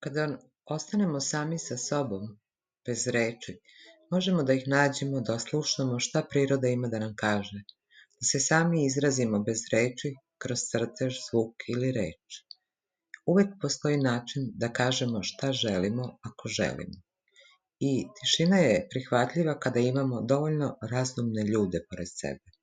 Kada ostanemo sami sa sobom, bez reči, možemo da ih nađemo, da oslušnemo šta priroda ima da nam kaže, da se sami izrazimo bez reči, kroz crtež, zvuk ili reč. Uvek postoji način da kažemo šta želimo ako želimo. I tišina je prihvatljiva kada imamo dovoljno razumne ljude pored sebe.